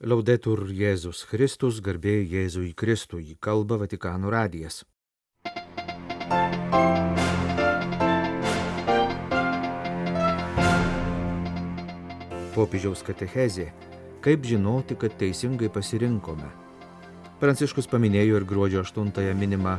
Laudetur Jėzus Kristus, garbė Jėzui Kristui, kalba Vatikano radijas. Popiežiaus katechezė. Kaip žinoti, kad teisingai pasirinkome? Pranciškus paminėjo ir gruodžio 8 minimą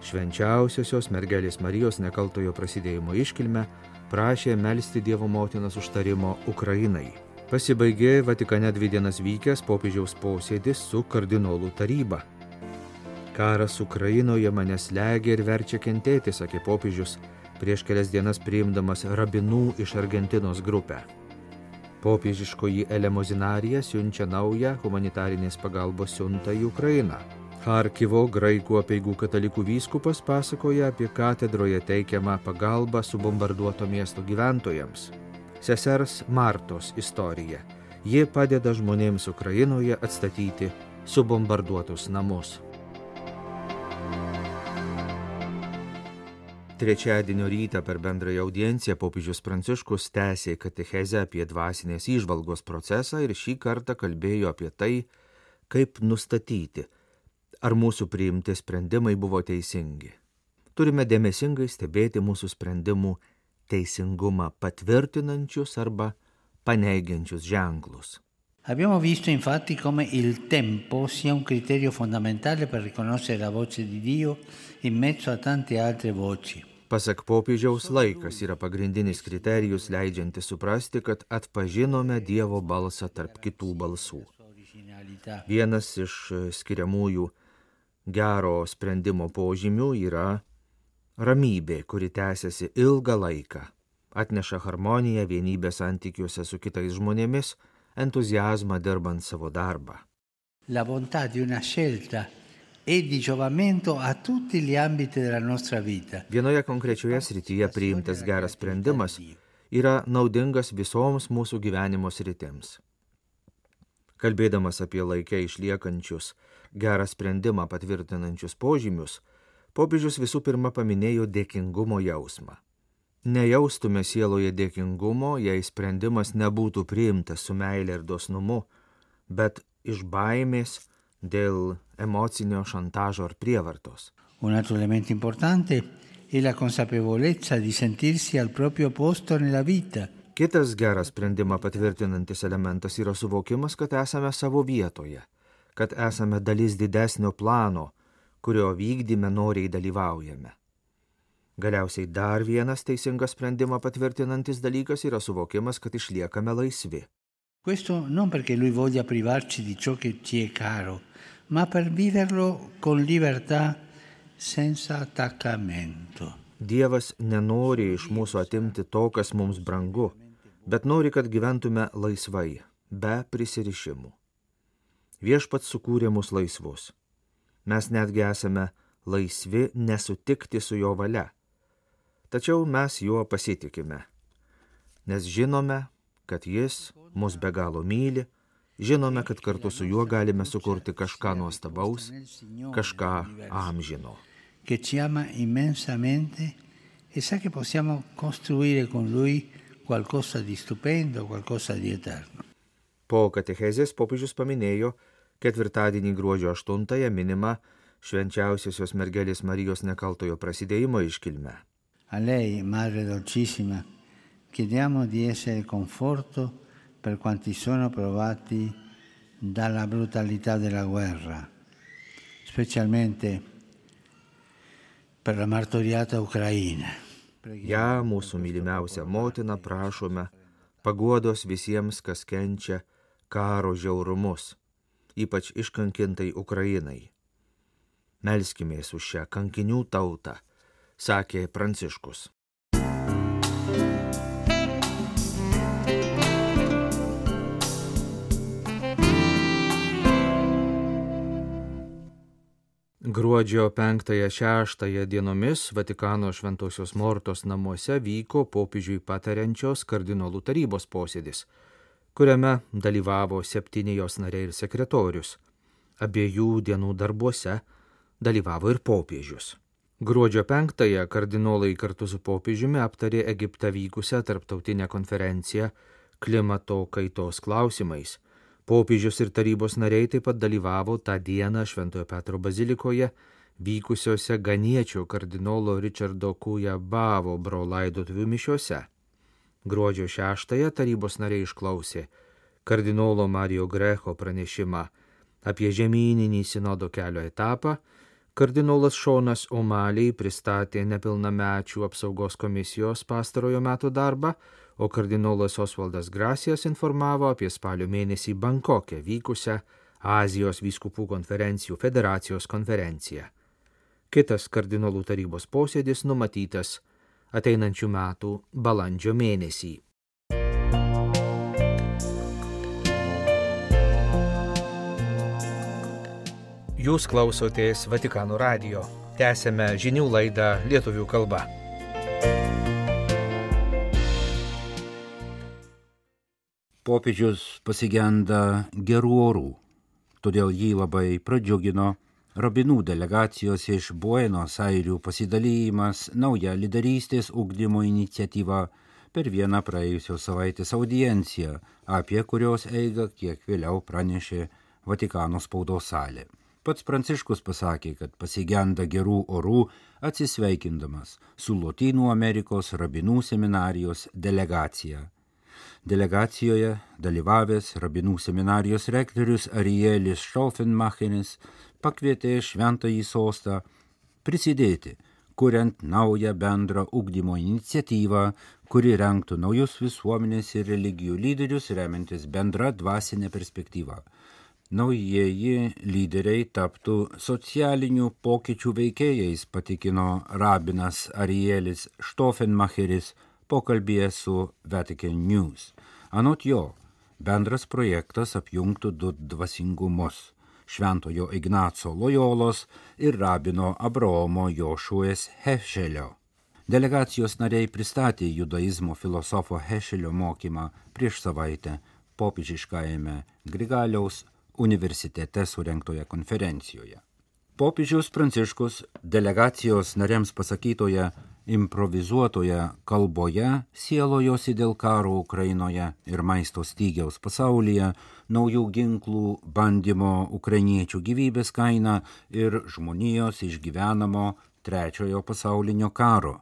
švenčiausiosios mergelės Marijos nekaltojo prasidėjimo iškilmę, prašė melsti Dievo motinos užtarimo Ukrainai. Pasibaigė Vatikane 2 dienas vykęs popiežiaus posėdis su kardinolų taryba. Karas Ukrainoje mane slegia ir verčia kentėti, sakė popiežius, prieš kelias dienas priimdamas rabinų iš Argentinos grupę. Popiežiškoji elemozinarija siunčia naują humanitarinės pagalbos siuntą į Ukrainą. Charkivo graikų apeigų katalikų vyskupas pasakoja apie katedroje teikiamą pagalbą subombarduoto miesto gyventojams. Sesers Martos istorija. Ji padeda žmonėms Ukrainoje atstatyti subombarduotus namus. Trečiadienio rytą per bendrąją audienciją popiežius Pranciškus tęsė katechezę apie dvasinės įžvalgos procesą ir šį kartą kalbėjo apie tai, kaip nustatyti, ar mūsų priimti sprendimai buvo teisingi. Turime dėmesingai stebėti mūsų sprendimų teisingumą patvirtinančius arba paneigiančius ženklus. Abbiamo visto infatti come il tempo sia un criterio fondamentale per riconoscere la voce di Dio in mezzo a tante altre voci. Pasak popiežiaus, laikas yra pagrindinis kriterijus leidžiantis suprasti, kad atpažinome Dievo balsą tarp kitų balsų. Vienas iš skiriamųjų gero sprendimo požymių yra ramybė, kuri tęsiasi ilgą laiką, atneša harmoniją, vienybę santykiuose su kitais žmonėmis, entuziazmą dirbant savo darbą. La bontà di una scelta è di giovamento a tutti gli ambiti della nostra vita. Vienoje konkrečioje srityje priimtas geras sprendimas yra naudingas visoms mūsų gyvenimo sritims. Kalbėdamas apie laikę išliekančius gerą sprendimą patvirtinančius požymius, popiežius visų pirma paminėjo dėkingumo jausmą. Nejaustume sieloje dėkingumo, jei sprendimas nebūtų priimtas su meile ir dosnumu, bet iš baimės dėl emocinio šantažo ar prievartos. Un altro elemento importante è la consapevolezza di sentirsi al proprio posto nella vita. Kitas geras sprendimą patvirtinantis elementas yra suvokimas, kad esame savo vietoje, kad esame dalis didesnio plano, kurio vykdyme noriai dalyvaujame. Galiausiai dar vienas teisingas sprendimą patvirtinantis dalykas yra suvokimas, kad išliekame laisvi. Questo non perché lui voglia privarci di ciò che ci è caro, ma per viverlo con libertà senza attaccamento. Dievas nenori iš mūsų atimti to, kas mums brangu, bet nori, kad gyventume laisvai, be prisirišimų. Viešpats sukūrė mus laisvus. Mes netgi esame laisvi nesutikti su jo valia. Tačiau mes juo pasitikime, nes žinome, kad jis mus be galo myli, žinome, kad kartu su juo galime sukurti kažką nuostabaus, kažką amžino. Che ci ama immensamente e sa che possiamo costruire con lui qualcosa di stupendo, qualcosa di eterno. Po katechezės popiežius paminėjo ketvirtadienį gruodžio 8 minimą švenčiausiosios mergelės Marijos nekaltojo prasidėjimo iškilmę. A lei, Madre Dolcissima, chiediamo di essere conforto per quanti sono provati dalla brutalità della guerra, specialmente per la martoriata Ucraina. Ja, mūsų mylimiausia motina, prašome paguodos visiems, kas kenčia karo žiaurumus, ypač iškankintai Ukrainai. Melskimės už šią kankinių tautą, sakė Pranciškus. Gruodžio 5-6 dienomis Vatikano Šventosios Mortos namuose vyko popiežiui patariančios kardinolų tarybos posėdis, kuriame dalyvavo 7 jos nariai ir sekretorius. Abiejų dienų darbuose dalyvavo ir popiežius. Gruodžio 5 kardinolai kartu su popiežiumi aptarė Egipte vykusią tarptautinę konferenciją klimato kaitos klausimais, Popiežius ir tarybos nariai taip pat dalyvavo tą dieną Šventojo Petro bazilikoje vykusiose Ganiečio kardinolo Richardo Kujabavobro laidotuvių mišiose. Gruodžio 6 tarybos nariai išklausė kardinolo Mario Grecho pranešimą apie žemyninį sinodo kelio etapą. Kardinolas Šonas O'Malley pristatė nepilnamečių apsaugos komisijos pastarojo meto darbą, o kardinolas Osvaldas Gracijas informavo apie spalio mėnesį Bankoke vykusią Azijos vyskupų konferencijų federacijos konferenciją. Kitas kardinolų tarybos posėdis numatytas ateinančių metų balandžio mėnesį. Jūs klausotės Vatikano radijo. Tęsėme žinių laidą lietuvių kalba. Popiežius pasigenda gerų orų, todėl jį labai pradžiugino rabinų delegacijos iš Buenos Airių pasidalymas nauja lyderystės ugdymo iniciatyva per vieną praėjusios savaitės audienciją, apie kurios eigą kiek vėliau pranešė Vatikano spaudos salė. Pats Pranciškus pasakė, kad pasigenda gerų orų atsisveikindamas su Lotynų Amerikos rabinų seminarijos delegacija. Delegacijoje dalyvavęs rabinų seminarijos rektorius Arielis Štaufenmacheris pakvietė Šventąjį sostą prisidėti, kuriant naują bendrą ugdymo iniciatyvą, kuri rengtų naujus visuomenės ir religijų lyderius remiantis bendra dvasinė perspektyva. Naujieji lyderiai taptų socialinių pokyčių veikėjais, patikino rabinas Arielis Štaufenmacheris pokalbyje su Vatican News. Anot jo, bendras projektas apjungtų du dvasingumus – Šventojo Ignaco Lojolos ir rabino Abraomo Jošuės Hešelio. Delegacijos nariai pristatė judaizmo filosofo Hešelio mokymą prieš savaitę popiežiškajame Grigaliaus universitete surengtoje konferencijoje. Popiežius Pranciškus delegacijos nariams pasakytoje improvizuotoje kalboje sielojosi dėl karo Ukrainoje ir maisto stygiaus pasaulyje, naujų ginklų bandymo ukrainiečių gyvybės kaina ir žmonijos išgyvenamo trečiojo pasaulinio karo.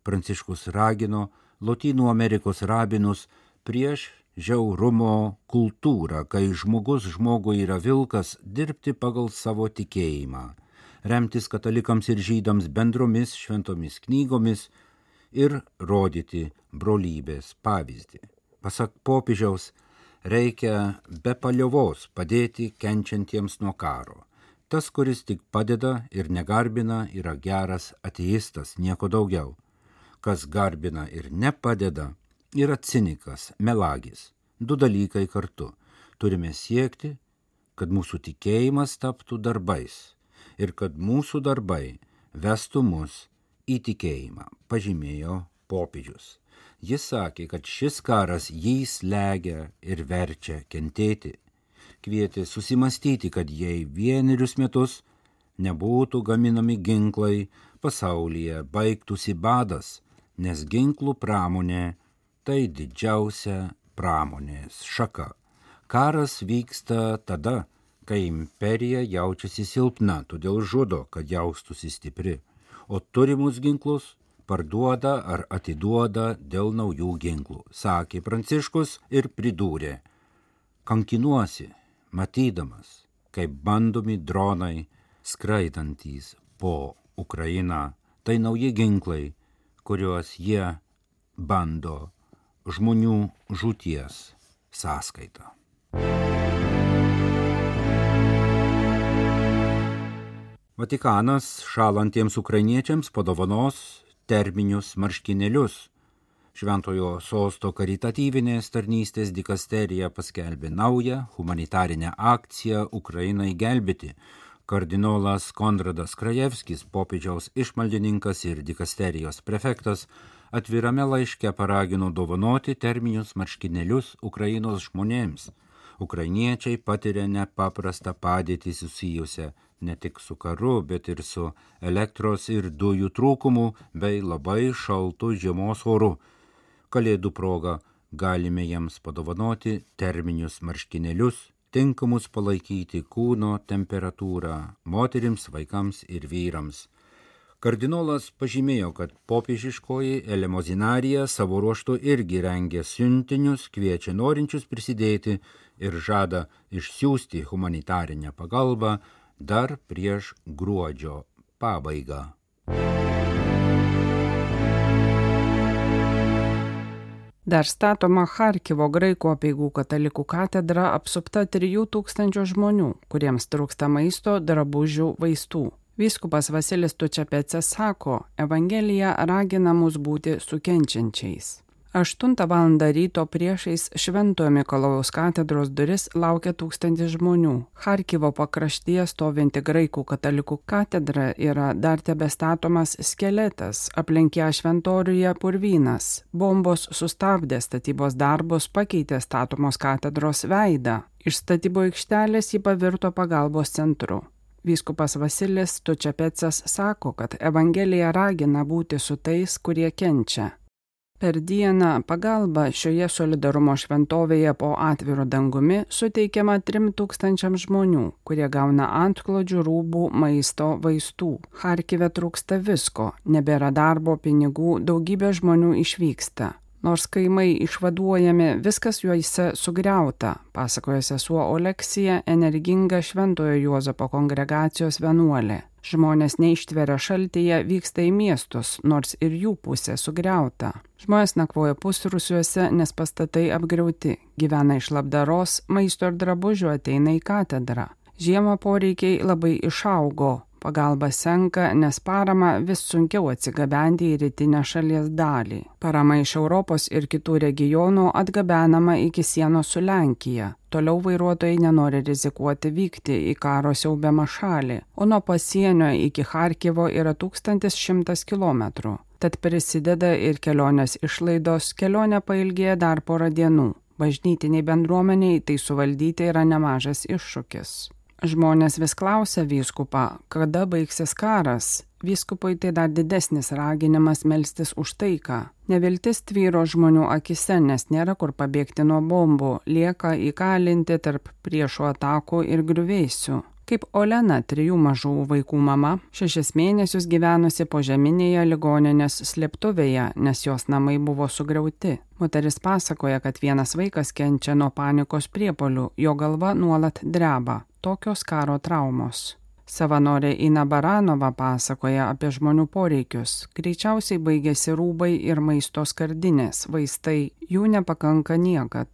Pranciškus ragino Lotynų Amerikos rabinus prieš žiaurumo kultūrą, kai žmogus žmogui yra vilkas, dirbti pagal savo tikėjimą, remtis katalikams ir žydams bendromis šventomis knygomis ir rodyti brolybės pavyzdį. Pasak popiežiaus, reikia be paliovos padėti kenčiantiems nuo karo. Tas, kuris tik padeda ir negarbina, yra geras ateistas, nieko daugiau. Kas garbina ir nepadeda, yra cinikas, melagis. Du dalykai kartu. Turime siekti, kad mūsų tikėjimas taptų darbais ir kad mūsų darbai vestų mus į tikėjimą, pažymėjo popiežius. Jis sakė, kad šis karas jį slegia ir verčia kentėti. Kvietė susimastyti, kad jei vienerius metus nebūtų gaminami ginklai, pasaulyje baigtųsi badas, nes ginklų pramonė tai didžiausia pramonės šaka. Karas vyksta tada, kai imperija jaučiasi silpna, todėl žudo, kad jaustųsi stipri, o turimus ginklus parduoda ar atiduoda dėl naujų ginklų, sakė Pranciškus ir pridūrė. Kankinuosi, matydamas, kaip bandomi dronai skraidantys po Ukrainą, tai nauji ginklai, kuriuos jie bando žmonių žūties sąskaita. Vatikanas šalantiems ukrainiečiams padovanos terminius marškinėlius. Šventojo sosto karitatyvinės tarnystės dikasterija paskelbė naują humanitarinę akciją Ukrainai gelbėti. Kardinolas Konradas Krajevskis, popiežiaus išmaldininkas ir dikasterijos prefektas, atvirame laiške paragino dovanoti terminius marškinėlius Ukrainos žmonėms. Ukrainiečiai patiria nepaprastą padėtį susijusią ne tik su karu, bet ir su elektros ir dujų trūkumu bei labai šaltu žiemos oru. Kalėdų proga galime jiems padovanoti terminius marškinėlius, tinkamus palaikyti kūno temperatūrą moterims, vaikams ir vyrams. Kardinolas pažymėjo, kad popiežiškoji elemozinarija savo ruožtu irgi rengia siuntinius, kviečia norinčius prisidėti ir žada išsiųsti humanitarinę pagalbą dar prieš gruodžio pabaigą. Dar statoma Charkivo graikų apeigų katalikų katedra apsupta 3000 žmonių, kuriems trūksta maisto, drabužių, vaistų. Vyskupas Vasilis Tučapecas sako, Evangelija ragina mus būti su kenčiančiais. 8 val. Ryto priešais Šventojo Mikalojaus katedros duris laukia 1000 žmonių. Charkivo pakraštyje stovinti graikų katalikų katedra yra dar tebestatomas skeletas, aplink ją šventoriuje purvynas. Bombos sustabdė statybos darbus, pakeitė statomos katedros veidą. Iš statybų aikštelės ji pavirto pagalbos centru. Vyskupas Vasilis Tučapecas sako, kad Evangelija ragina būti su tais, kurie kenčia. Per dieną pagalba šioje solidarumo šventovėje po atviru dangumi suteikiama 3000 žmonių, kurie gauna antklodžių, rūbų, maisto, vaistų. Charkive trūksta visko, nebėra darbo, pinigų, daugybė žmonių išvyksta. Nors kaimai išvaduojami, viskas juose sugriauta, pasakoja sesuo Oleksija, energinga Šventojo Juozapo kongregacijos vienuolė. Žmonės neištveria šaltyje, vyksta į miestus, nors ir jų pusė sugriauta. Žmonės nakvoja pusrūsiuose, nes pastatai apgriauti, gyvena iš labdaros, maisto ir drabužių ateina į katedrą. Žiemą poreikiai labai išaugo. Pagalba senka, nes parama vis sunkiau atsigabenti į rytinę šalies dalį. Parama iš Europos ir kitų regionų atgabenama iki sienos su Lenkija. Toliau vairuotojai nenori rizikuoti vykti į karo siaubiamą šalį, o nuo pasienio iki Charkivo yra 1100 km. Tad prisideda ir kelionės išlaidos, kelionė pailgėja dar porą dienų. Bažnytiniai bendruomeniai tai suvaldyti yra nemažas iššūkis. Žmonės vis klausia vyskupą, kada baigsis karas. Vyskupui tai dar didesnis raginimas melstis už taiką. Neviltis tvyro žmonių akise, nes nėra kur pabėgti nuo bombų, lieka įkalinti tarp priešų atakų ir griuvėsių. Kaip Olena, 3 mažų vaikų mama, 6 mėnesius gyvenusi požeminėje ligoninės slėptuvėje, nes jos namai buvo sugriauti. Moteris pasakoja, kad vienas vaikas kenčia nuo panikos priepuolių, jo galva nuolat dreba. Tokios karo traumos. Savanorė Ina Baranova pasakoja apie žmonių poreikius. Greičiausiai baigėsi rūbai ir maisto skardinės, vaistai, jų nepakanka niekad.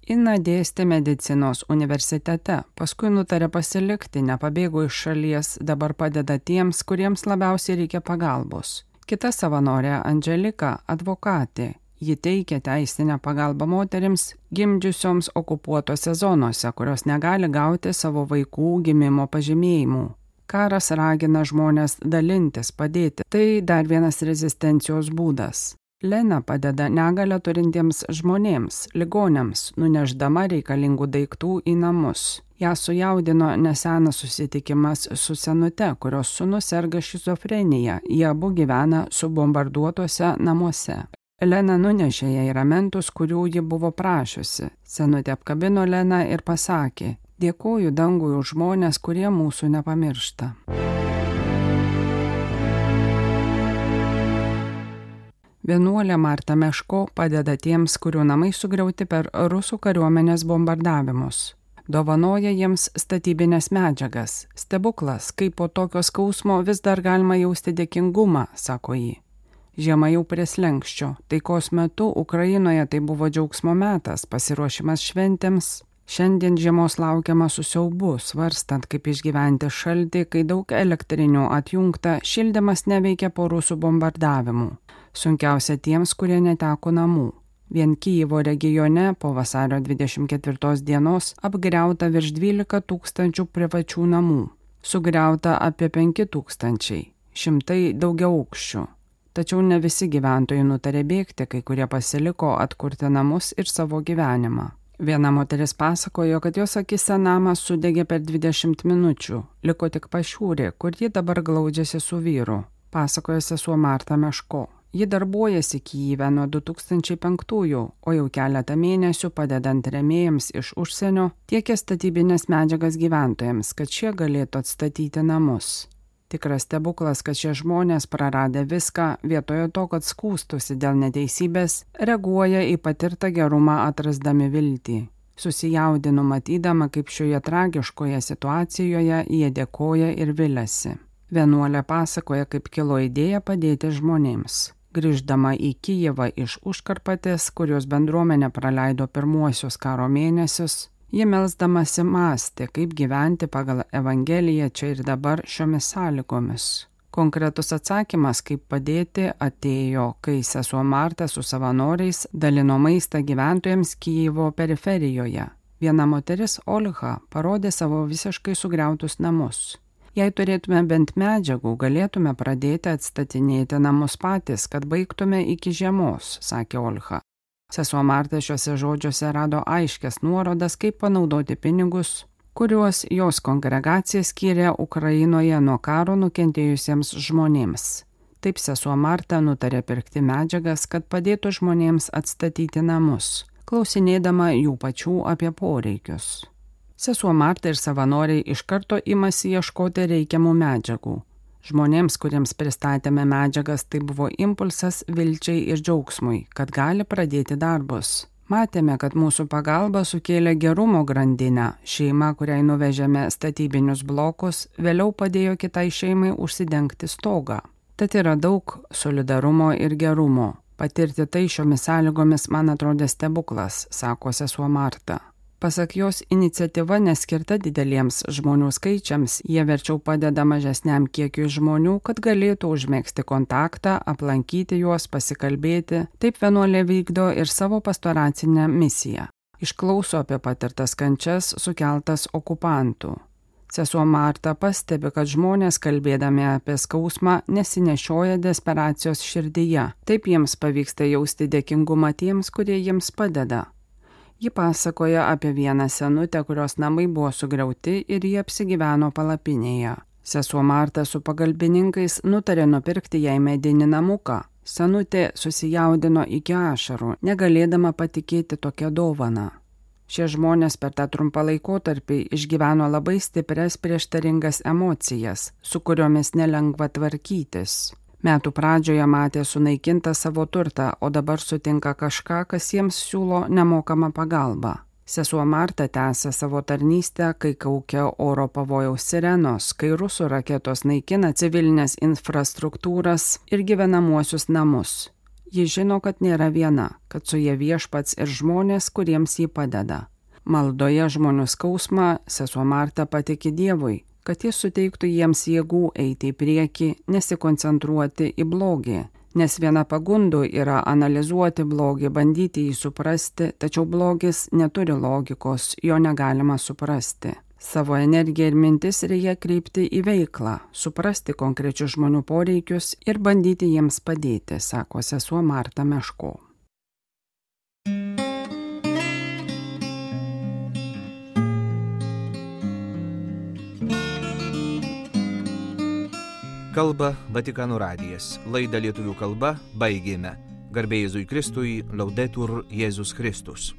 Ina dėstė medicinos universitete, paskui nutarė pasilikti, nepabėgo iš šalies, dabar padeda tiems, kuriems labiausiai reikia pagalbos. Kita savanorė Andželika advokatė. Ji teikia teisinę pagalbą moterims gimdžiusioms okupuotose zonose, kurios negali gauti savo vaikų gimimo pažymėjimų. Karas ragina žmonės dalintis, padėti. Tai dar vienas rezistencijos būdas. Lena padeda negalią turintiems žmonėms, ligoniams, nuneždama reikalingų daiktų į namus. Ją sujaudino nesenas susitikimas su senute, kurios sūnus serga šizofrenija. Jie abu gyvena subombarduotuose namuose. Lena nunešė jai ramentus, kurių ji buvo prašiusi. Senutė apkabino Leną ir pasakė, dėkoju dangui už žmonės, kurie mūsų nepamiršta. Vienuolė Marta Meško padeda tiems, kurių namai sugriauti per rusų kariuomenės bombardavimus. Dovanoja jiems statybinės medžiagas. Stebuklas, kaip po tokio skausmo vis dar galima jausti dėkingumą, sako ji. Žiema jau prie slenkščio. Taikos metu Ukrainoje tai buvo džiaugsmo metas, pasiruošimas šventėms. Šiandien žiemos laukiama su siaubu, svarstant, kaip išgyventi šaltį, kai daug elektrinių atjungta, šildymas neveikia po rusų bombardavimų. Sunkiausia tiems, kurie neteko namų. Vien Kijevo regione po vasario 24 dienos apgriauta virš 12 000 privačių namų. Sugriauta apie 5 000, šimtai daugiaaukščių. Tačiau ne visi gyventojai nutarė bėgti, kai kurie pasiliko atkurti namus ir savo gyvenimą. Viena moteris pasakojo, kad jos akise namas sudegė per 20 minučių, liko tik pašiūrė, kur ji dabar glaudžiasi su vyru, pasakojo sesuo Marta Meško. Ji darbuojasi Kyjive nuo 2005, o jau keletą mėnesių padedant rėmėjams iš užsienio tiekia statybinės medžiagas gyventojams, kad šie galėtų atstatyti namus. Tikras stebuklas, kad šie žmonės praradę viską, vietoje to, kad skųstųsi dėl neteisybės, reaguoja į patirtą gerumą atrasdami viltį. Susijaudinu matydama, kaip šioje tragiškoje situacijoje jie dėkoja ir viliasi. Vienuolė pasakoja, kaip kilo idėja padėti žmonėms. Grįždama į Kyjivą iš Užkarpatės, kurios bendruomenė praleido pirmuosius karo mėnesius, ji melsdamasi mąstė, kaip gyventi pagal Evangeliją čia ir dabar šiomis sąlygomis. Konkretus atsakymas, kaip padėti, atėjo, kai sesuo Marta su savanoriais dalino maistą gyventojams Kyjivo periferijoje. Viena moteris, Olha, parodė savo visiškai sugriautus namus. Jei turėtume bent medžiagų, galėtume pradėti atstatinėti namus patys, kad baigtume iki žiemos, sakė Olha. Sesuo Marta šiuose žodžiuose rado aiškias nuorodas, kaip panaudoti pinigus, kuriuos jos kongregacija skyrė Ukrainoje nuo karo nukentėjusiems žmonėms. Taip sesuo Marta nutarė pirkti medžiagas, kad padėtų žmonėms atstatyti namus, klausinėdama jų pačių apie poreikius. Sesuo Marta ir savanoriai iš karto imasi ieškoti reikiamų medžiagų. Žmonėms, kuriems pristatėme medžiagas, tai buvo impulsas vilčiai ir džiaugsmui, kad gali pradėti darbus. Matėme, kad mūsų pagalba sukėlė gerumo grandinę. Šeima, kuriai nuvežėme statybinius blokus, vėliau padėjo kitai šeimai užsidengti stogą. Tad yra daug solidarumo ir gerumo. Patirti tai šiomis sąlygomis man atrodė stebuklas, sako sesuo Marta. Pasak jos, iniciatyva neskirta dideliems žmonių skaičiams, jie verčiau padeda mažesniam kiekiui žmonių, kad galėtų užmėgsti kontaktą, aplankyti juos, pasikalbėti. Taip vienuolė vykdo ir savo pastoracinę misiją. Išklauso apie patirtas kančias sukeltas okupantų. Sesuo Marta pastebi, kad žmonės, kalbėdami apie skausmą, nesinešioja desperacijos širdyje. Taip jiems pavyksta jausti dėkingumą tiems, kurie jiems padeda. Ji pasakoja apie vieną senutę, kurios namai buvo sugriauti ir ji apsigyveno palapinėje. Sesuo Marta su pagalbininkais nutarė nupirkti jai medinį namuką. Senutė susijaudino iki ašarų, negalėdama patikėti tokią dovaną. Šie žmonės per tą trumpą laikotarpį išgyveno labai stiprias prieštaringas emocijas, su kuriomis nelengva tvarkytis. Metų pradžioje matė sunaikintą savo turtą, o dabar sutinka kažką, kas jiems siūlo nemokamą pagalbą. Sesuo Marta tęsia savo tarnystę, kai kaukia oro pavojaus sirenos, kai rusų raketos naikina civilinės infrastruktūras ir gyvenamuosius namus. Ji žino, kad nėra viena, kad su ja viešpats ir žmonės, kuriems jį padeda. Maldoje žmonių skausmą sesuo Marta patiki Dievui, kad jis suteiktų jiems jėgų eiti į priekį, nesikoncentruoti į blogį, nes viena pagundų yra analizuoti blogį, bandyti jį suprasti, tačiau blogis neturi logikos, jo negalima suprasti. Savo energiją ir mintis reikia kreipti į veiklą, suprasti konkrečius žmonių poreikius ir bandyti jiems padėti, sako sesuo Marta Meško. Kalba Vatikano radijas. Laidą lietuvių kalba baigėme. Garbė Jėzui Kristui, Laudetur Jėzus Kristus.